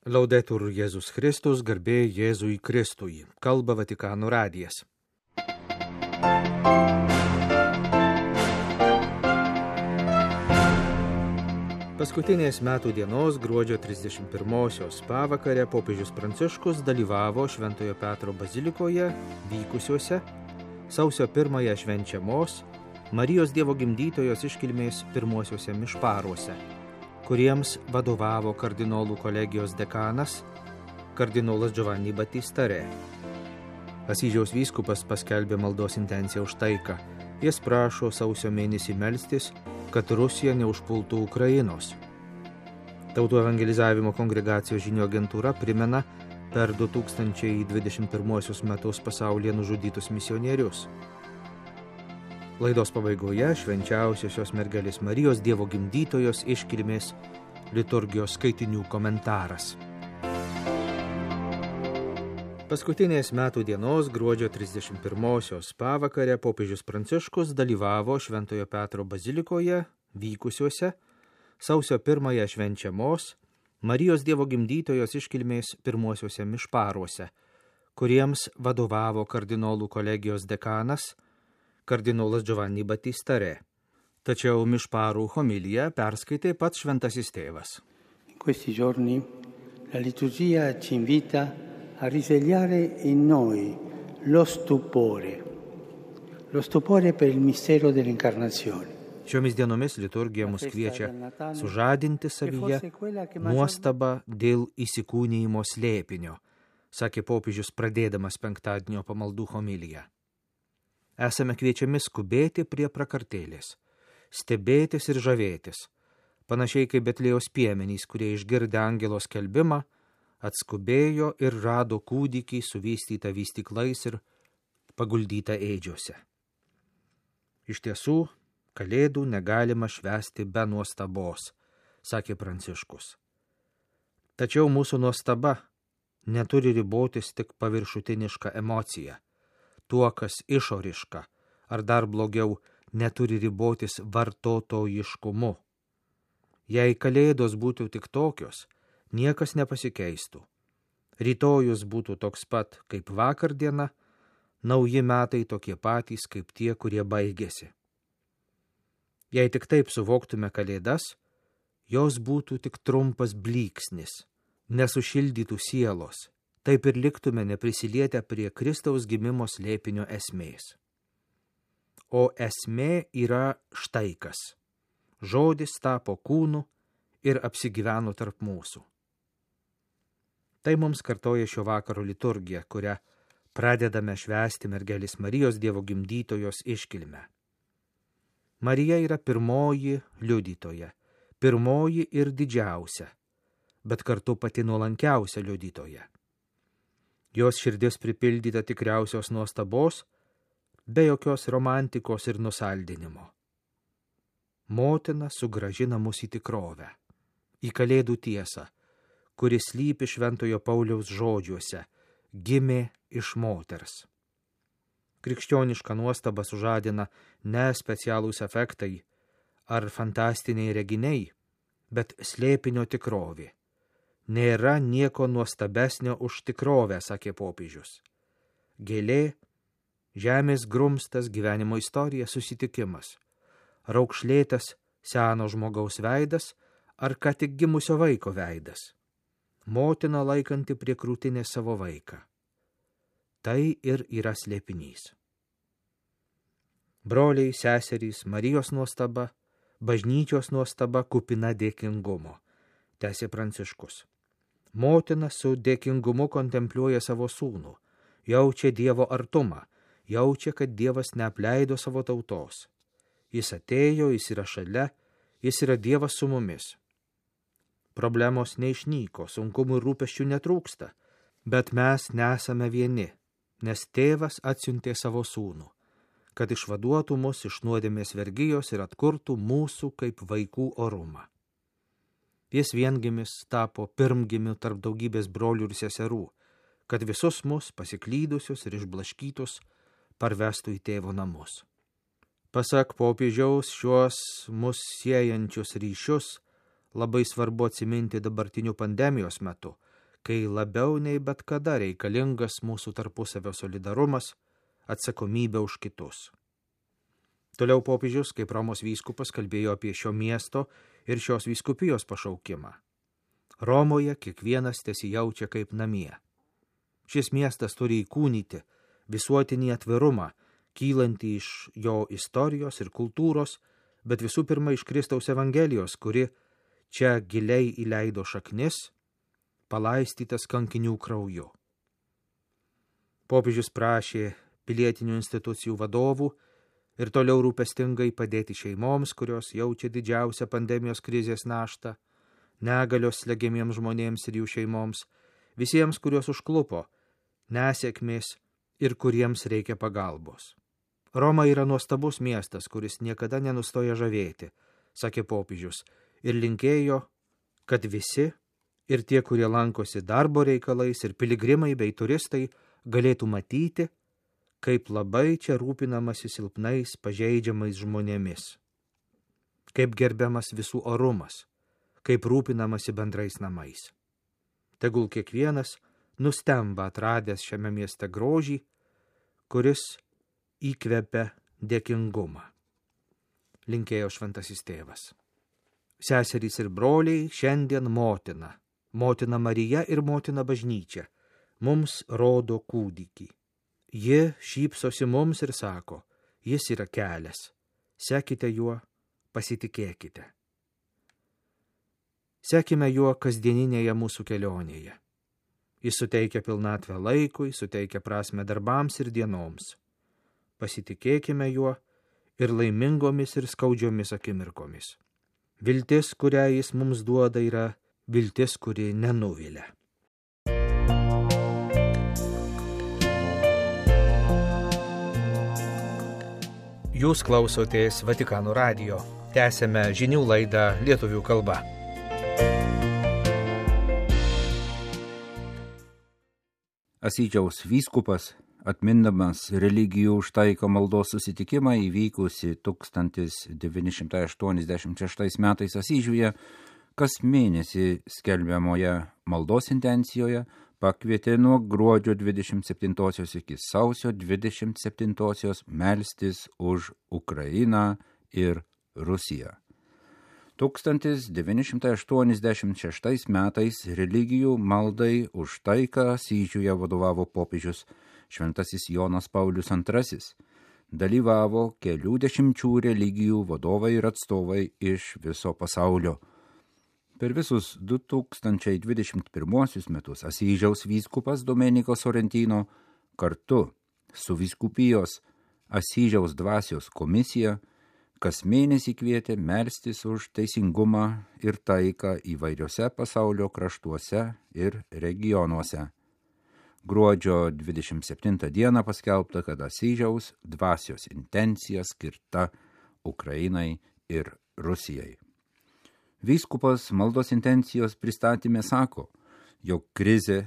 Laudetur Jėzus Kristus, garbė Jėzui Kristui. Kalba Vatikano radijas. Paskutinės metų dienos gruodžio 31-osios pavakarę popiežius Pranciškus dalyvavo Šventojo Petro bazilikoje vykusiuose sausio 1-ąją švenčiamos Marijos Dievo gimdytojos iškilmės pirmuosiuose mišparuose, kuriems vadovavo kardinolų kolegijos dekanas, kardinolas Giovanni Battista Re. Asyžiaus vyskupas paskelbė maldos intenciją už taiką. Jis prašo sausio mėnesį melstis, kad Rusija neužpultų Ukrainos. Tautų evangelizavimo kongregacijos žinių agentūra primena per 2021 metus pasaulyje nužudytus misionierius. Laidos pabaigoje švenčiausiosios mergelės Marijos Dievo gimdytojos iškilmės liturgijos skaitinių komentaras. Paskutinės metų dienos gruodžio 31-osios pavakarę popiežius Pranciškus dalyvavo Šventojo Petro bazilikoje vykusiuose sausio 1-ąją švenčiamos Marijos Dievo gimdytojos iškilmės pirmuosiuose mišparuose, kuriems vadovavo kardinolų kolegijos dekanas, kardinolas Giovanni Battista Re. Tačiau mišparų homiliją perskaitė pats šventasis tėvas. In questi giorni la liturgia ci invita a risvegliare in noi lo stupore per il mistero dell'incarnazione. Šiomis dienomis liturgija mus kviečia sužadinti savyje nuostabą dėl įsikūnijimo slėpinio, sakė popiežius pradėdamas penktadienio pamaldų homiliją. Esame kviečiami skubėti prie prakartėlės, stebėtis ir žavėtis, panašiai kaip Betliejaus piemenys, kurie išgirdę angelo skelbimą, atskubėjo ir rado kūdikį suvystytą vystyklais ir paguldytą ėdžiuose. Iš tiesų, kalėdų negalima švęsti be nuostabos, sakė Pranciškus. Tačiau mūsų nuostaba neturi ribotis tik paviršutiniška emocija, tuo, kas išoriška, ar dar blogiau, neturi ribotis vartotojiškumu. Jei kalėdos būtų tik tokios, niekas nepasikeistų. Rytojus būtų toks pat kaip vakar diena, nauji metai tokie patys kaip tie, kurie baigėsi. Jei tik taip suvoktume kalėdas, jos būtų tik trumpas blyksnis, nesušildytų sielos, taip ir liktume neprisilietę prie Kristaus gimimo slėpinio esmės. O esmė yra štai kas. Žodis tapo kūnu ir apsigyveno tarp mūsų. Tai mums kartoja šio vakaro liturgija, kurią pradedame švęsti mergelės Marijos Dievo gimdytojos iškilmę. Marija yra pirmoji liudytoja, pirmoji ir didžiausia, bet kartu pati nuolankiausia liudytoja. Jos širdis pripildyta tikriausios nuostabos, be jokios romantikos ir nusaldinimo. Motina sugrąžina mus į tikrovę, į kalėdų tiesą, kuris slypi Šventojo Pauliaus žodžiuose, gimė iš moters. Krikščionišką nuostabą sužadina ne specialūs efektai ar fantastiniai reginiai, bet slėpinio tikrovė. Nėra nieko nuostabesnio už tikrovę, sakė popiežius. Gėlė, žemės grumstas, gyvenimo istorija, susitikimas, raukšlėtas seno žmogaus veidas ar ką tik gimusio vaiko veidas, motina laikanti prie krūtinės savo vaiką. Tai ir yra slėpinys. Broliai, seserys, Marijos nuostaba, bažnyčios nuostaba kupina dėkingumo, tęsė Pranciškus. Motina su dėkingumu kontempliuoja savo sūnų, jaučia Dievo artumą, jaučia, kad Dievas neapleido savo tautos. Jis atėjo, jis yra šalia, jis yra Dievas su mumis. Problemos neišnyko, sunkumų ir rūpesčių netrūksta, bet mes nesame vieni, nes Tėvas atsiuntė savo sūnų, kad išvaduotų mus iš nuodėmės vergijos ir atkurtų mūsų kaip vaikų orumą. Jis viengimis tapo pirmgimiu tarp daugybės brolių ir seserų, kad visus mus pasiklydusius ir išblaškytus parvestų į tėvo namus. Pasak popiežiaus, šiuos mus siejančius ryšius labai svarbu atsiminti dabartiniu pandemijos metu, kai labiau nei bet kada reikalingas mūsų tarpusavio solidarumas, atsakomybė už kitus. Toliau popiežius, kaip Romos vyskupas, kalbėjo apie šio miesto ir šios vyskupijos pašaukimą. Romoje kiekvienas tesijaučia kaip namie. Šis miestas turi įkūnyti visuotinį atvirumą, kylantį iš jo istorijos ir kultūros, bet visų pirma iš Kristaus Evangelijos, kuri čia giliai įleido šaknis, palaistytas kankinių krauju. Popiežius prašė pilietinių institucijų vadovų ir toliau rūpestingai padėti šeimoms, kurios jaučia didžiausią pandemijos krizės naštą, negalios slegiamiems žmonėms ir jų šeimoms, visiems, kuriuos užklupo nesėkmės ir kuriems reikia pagalbos. Roma yra nuostabus miestas, kuris niekada nenustoja žavėti, sakė popiežius, ir linkėjo, kad visi, ir tie, kurie lankosi darbo reikalais, ir piligrimai bei turistai, galėtų matyti, kaip labai čia rūpinamasi silpnais, pažeidžiamais žmonėmis, kaip gerbiamas visų orumas, kaip rūpinamasi bendrais namais. Tegul kiekvienas nustemba atradęs šiame mieste grožį, kuris įkvepia dėkingumą. Linkėjo šventasis tėvas. Seserys ir broliai, šiandien motina Marija ir motina bažnyčia, mums rodo kūdikį. Ji šypsosi mums ir sako, jis yra kelias, sekite juo, pasitikėkite. Sekime juo kasdieninėje mūsų kelionėje. Jis suteikia pilnatvę laikui, suteikia prasmę darbams ir dienoms. Pasitikėkime juo ir laimingomis ir skaudžiomis akimirkomis. Viltis, kurią jis mums duoda, yra viltis, kuri nenuvilia. Jūs klausotės Vatikano radijo. Tęsiame žinių laidą lietuvių kalba. Asyžiaus vyskupas, atmindamas religijų už taiką maldos susitikimą įvykusi 1986 metais Asyžiuje, kas mėnesį skelbiamoje maldos intencijoje pakvietė nuo gruodžio 27 iki sausio 27 melstis už Ukrainą ir Rusiją. 1986 metais religijų maldai už taiką Asyžiuje vadovavo popiežius Šventasis Jonas Paulius II. Dalyvavo kelių dešimčių religijų vadovai ir atstovai iš viso pasaulio. Per visus 2021 metus Asyžiaus vyskupas Domenico Sorrentino kartu su vyskupijos Asyžiaus dvasios komisija kas mėnesį kvietė melstis už teisingumą ir taiką įvairiose pasaulio kraštuose ir regionuose. Gruodžio 27 dieną paskelbta, kad Asyžiaus dvasios intencija skirta Ukrainai ir Rusijai. Vyskupas maldos intencijos pristatyme sako, jog krizė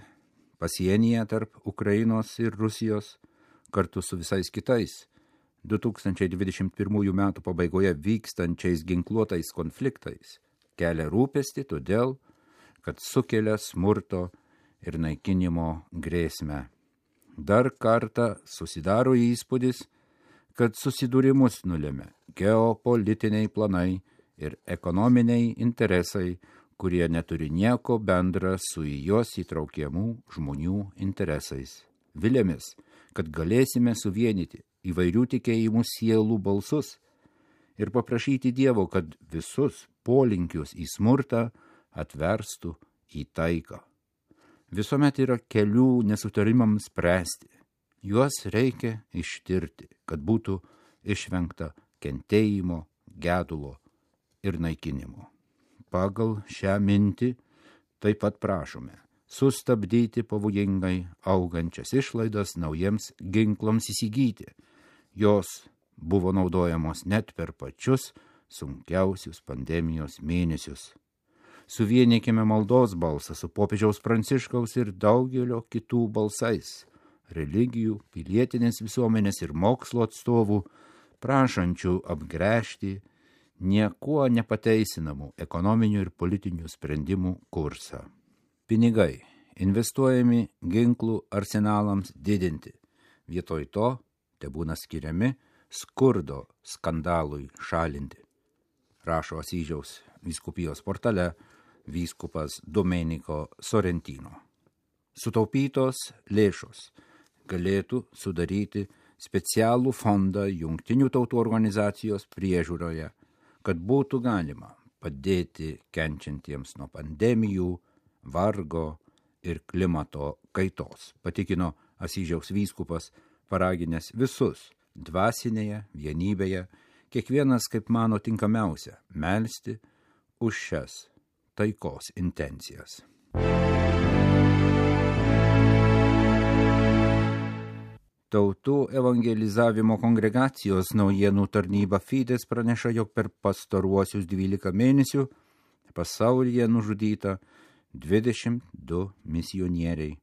pasienyje tarp Ukrainos ir Rusijos kartu su visais kitais 2021 metų pabaigoje vykstančiais ginkluotais konfliktais kelia rūpestį todėl, kad sukelia smurto ir naikinimo grėsmę. Dar kartą susidaro įspūdis, kad susidūrimus nulėmė geopolitiniai planai ir ekonominiai interesai, kurie neturi nieko bendra su į juos įtraukiamų žmonių interesais. Viliamės, kad galėsime suvienyti įvairių tikėjimų sielų balsus ir paprašyti Dievo, kad visus polinkius į smurtą atverstų į taiką. Visuomet yra kelių nesutarimams spręsti. Juos reikia ištirti, kad būtų išvengta kentėjimo, gedulo ir naikinimo. Pagal šią mintį taip pat prašome sustabdyti pavojingai augančias išlaidas naujiems ginklams įsigyti. Jos buvo naudojamos net per pačius sunkiausius pandemijos mėnesius. Suvienykime maldos balsą su popiežiaus Pranciškaus ir daugelio kitų balsais, religijų, pilietinės visuomenės ir mokslo atstovų, prašančių apgręžti niekuo nepateisinamų ekonominių ir politinių sprendimų kursą. Pinigai investuojami ginklų arsenalams didinti. Vietoj to tebūna skiriami skurdo skandalui šalinti. Rašo Asyžiaus vyskupijos portale vyskupas Domenico Sorrentino. Sutaupytos lėšos galėtų sudaryti specialų fondą Jungtinių tautų organizacijos priežiūroje, kad būtų galima padėti kenčiantiems nuo pandemijų, vargo ir klimato kaitos, patikino Asyžiaus vyskupas, paraginęs visus dvasinėje vienybėje, kiekvienas kaip mano tinkamiausia, melsti už šias taikos intencijas. Tautų evangelizavimo kongregacijos naujienų tarnyba Fides praneša, jog per pastaruosius 12 mėnesių pasaulyje nužudyta 22 misionieriai.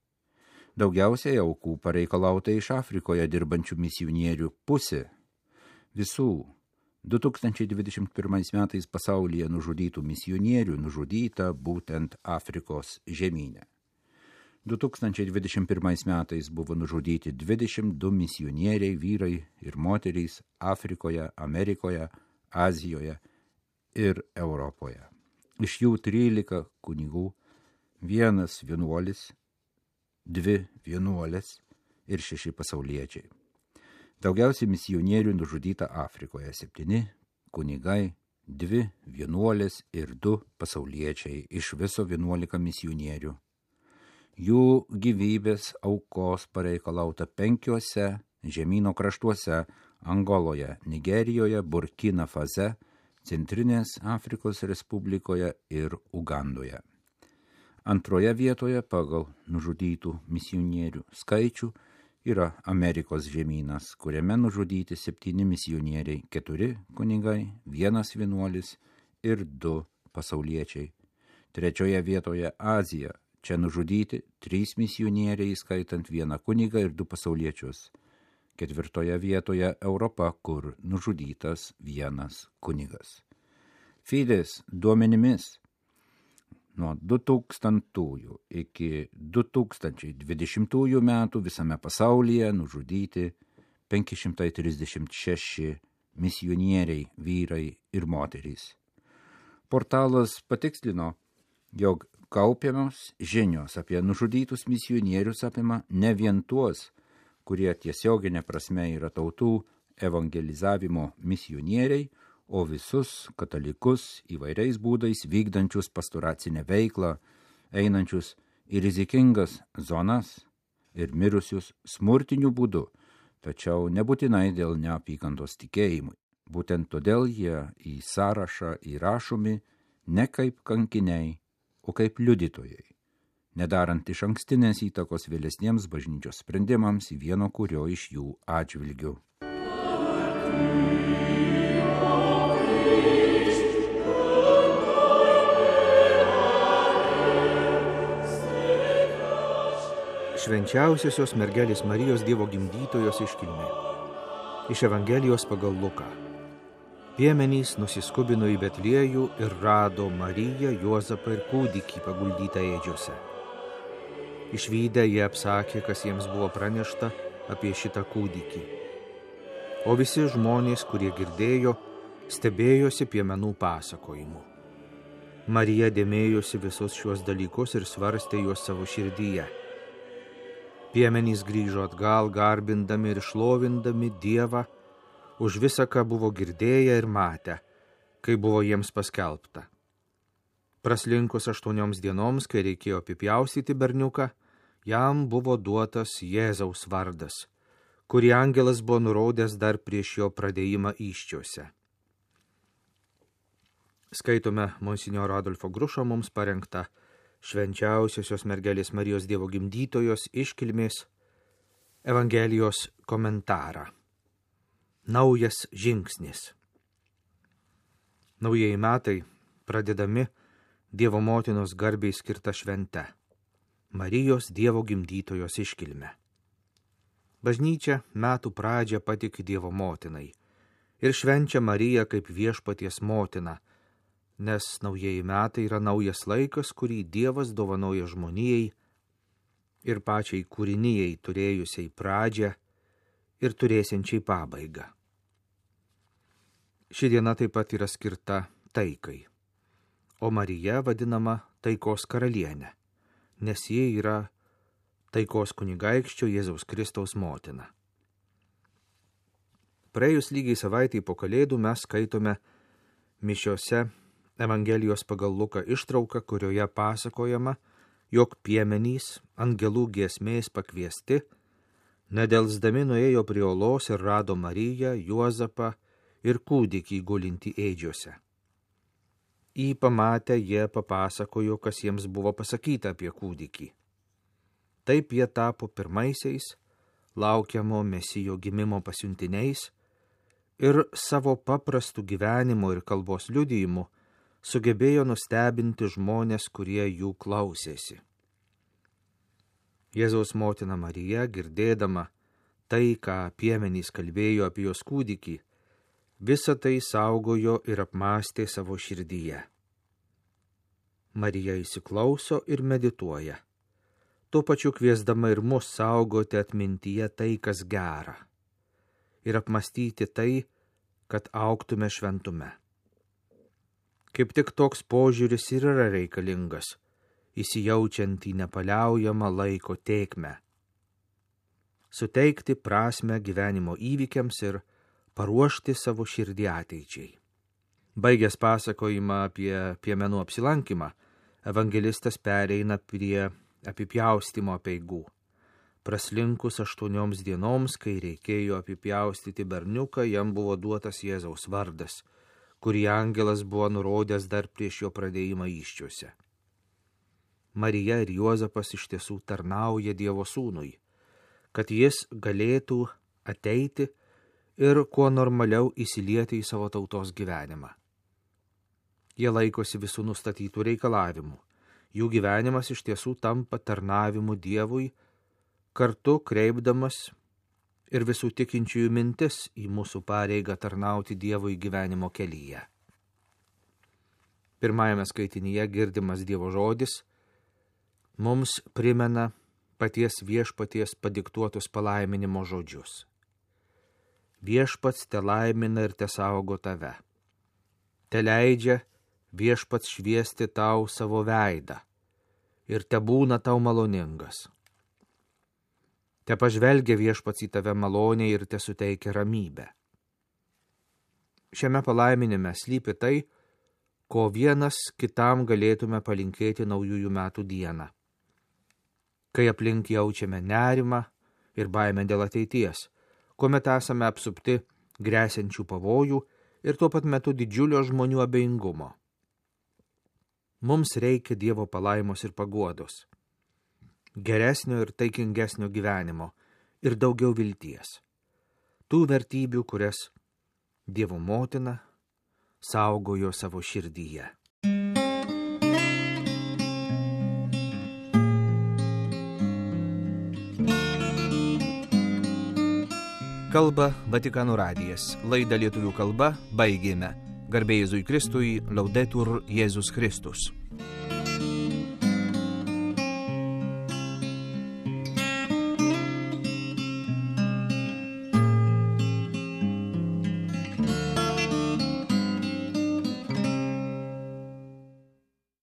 Daugiausiai aukų pareikalauta iš Afrikoje dirbančių misionierių pusė. Visų 2021 metais pasaulyje nužudytų misionierių nužudyta būtent Afrikos žemyne. 2021 metais buvo nužudyti 22 misionieriai, vyrai ir moterys Afrikoje, Amerikoje, Azijoje ir Europoje. Iš jų 13 kunigų, 1 vienuolis, 2 vienuolės ir 6 pasauliečiai. Daugiausiai misionierių nužudyta Afrikoje, 7 kunigai, 2 vienuolės ir 2 pasauliečiai, iš viso 11 misionierių. Jų gyvybės aukos pareikalauta 5 žemyno kraštuose – Angoloje, Nigerijoje, Burkina Fase, Centrinės Afrikos Respublikoje ir Ugandoje. Antroje vietoje pagal nužudytų misionierių skaičių yra Amerikos žemynas, kuriame nužudyti 7 misionieriai, 4 kunigai, 1 vienuolis ir 2 pasauliečiai. Trečioje vietoje Azija. Čia nužudyti 3 misionieriai, skaitant 1 kunigą ir 2 pasauliečius. 4 vietoje Europa, kur nužudytas 1 kunigas. Fides duomenimis nuo 2000 iki 2020 metų visame pasaulyje nužudyti 536 misionieriai, vyrai ir moterys. Portalas patikslino, jog kaupiamos žinios apie nužudytus misionierius apima ne vien tuos, kurie tiesioginė prasme yra tautų evangelizavimo misionieriai, o visus katalikus įvairiais būdais vykdančius pastoracinę veiklą, einančius į rizikingas zonas ir mirusius smurtiniu būdu, tačiau nebūtinai dėl neapykantos tikėjimui. Būtent todėl jie į sąrašą įrašomi ne kaip kankiniai, o kaip liudytojai, nedarant iš ankstinės įtakos vėlesniems bažnyčios sprendimams vieno kurio iš jų atžvilgių. Švenčiausiosios mergelės Marijos Dievo gimdytojos iškilmė. Iš Evangelijos pagal Luką. Piemenys nusiskubino į Betliejų ir rado Mariją, Juozapą ir kūdikį paguldytą ėdžiose. Išvydę jie apsakė, kas jiems buvo pranešta apie šitą kūdikį. O visi žmonės, kurie girdėjo, stebėjosi piemenų pasakojimu. Marija dėmėjosi visus šiuos dalykus ir svarstė juos savo širdyje. Piemenys grįžo atgal, garbindami ir šlovindami Dievą už visą, ką buvo girdėję ir matę, kai buvo jiems paskelbta. Praslinkus 8 dienoms, kai reikėjo apipjaustyti berniuką, jam buvo duotas Jėzaus vardas, kurį angelas buvo nurodęs dar prieš jo pradėjimą įsčiose. Skaitome monsinjoro Adolfo Grušo mums parengtą Švenčiausiosios mergelės Marijos Dievo gimdytojos iškilmės Evangelijos komentarą. Naujas žingsnis. Naujieji metai pradedami Dievo motinos garbei skirta švente – Marijos Dievo gimdytojos iškilme. Bažnyčia metų pradžią patiki Dievo motinai ir švenčia Mariją kaip viešpaties motiną, nes naujieji metai yra naujas laikas, kurį Dievas dovanoja žmonijai ir pačiai kūrinijai turėjusiai pradžią ir turėsiančiai pabaigą. Ši diena taip pat yra skirta taikai, o Marija vadinama taikos karalienė, nes ji yra taikos kunigaikščio Jėzaus Kristaus motina. Praėjus lygiai savaitį po Kalėdų mes skaitome mišiose Evangelijos pagal Luką ištrauką, kurioje pasakojama, jog piemenys angelų giesmės pakviesti, nedelsdami nuėjo prie olos ir rado Mariją, Juozapą ir kūdikį gulintį ėdžiose. Jį pamatę, jie papasakojo, kas jiems buvo pasakyta apie kūdikį. Taip jie tapo pirmaisiais laukiamo Mesijo gimimo pasiuntiniais ir savo paprastų gyvenimo ir kalbos liudijimu sugebėjo nustebinti žmonės, kurie jų klausėsi. Jėzaus motina Marija, girdėdama tai, ką piemenys kalbėjo apie jos kūdikį, visą tai saugojo ir apmąstė savo širdyje. Marija įsiklauso ir medituoja, tuo pačiu kviesdama ir mus saugoti atmintyje tai, kas gera, ir apmąstyti tai, kad augtume šventume. Kaip tik toks požiūris ir yra reikalingas, įsijaučiant į nepaliaujamą laiko tėkmę. Suteikti prasmę gyvenimo įvykiams ir paruošti savo širdį ateičiai. Baigęs pasakojimą apie piemenų apsilankymą, evangelistas pereina prie apipjaustymo apeigų. Praslinkus 8 dienoms, kai reikėjo apipjaustyti berniuką, jam buvo duotas Jėzaus vardas, kurį angelas buvo nurodęs dar prieš jo pradėjimą įsčiose. Marija ir Juozapas iš tiesų tarnauja Dievo sūnui, kad jis galėtų ateiti ir kuo normaliau įsilieti į savo tautos gyvenimą. Jie laikosi visų nustatytų reikalavimų. Jų gyvenimas iš tiesų tampa tarnavimu Dievui, kartu kreipdamas ir visų tikinčiųjų mintis į mūsų pareigą tarnauti Dievui gyvenimo kelyje. Pirmajame skaitinyje girdimas Dievo žodis mums primena paties viešpaties padiktuotus palaiminimo žodžius. Viešpats te laimina ir te saugo tave. Te leidžia viešpats šviesti tau savo veidą ir te būna tau maloningas. Te pažvelgia viešpats į tave maloniai ir te suteikia ramybę. Šiame palaiminime slypi tai, ko vienas kitam galėtume palinkėti naujųjų metų dieną. Kai aplink jaučiame nerimą ir baimę dėl ateities, kuomet esame apsupti gresiančių pavojų ir tuo pat metu didžiulio žmonių abejingumo. Mums reikia Dievo palaimos ir paguodos, geresnio ir taikingesnio gyvenimo ir daugiau vilties. Tų vertybių, kurias Dievo motina saugojo savo širdyje. Kalba Vatikano radijas. Laidą lietuvių kalba baigėme. Garbė Jėzui Kristui, Laudetur Jėzus Kristus.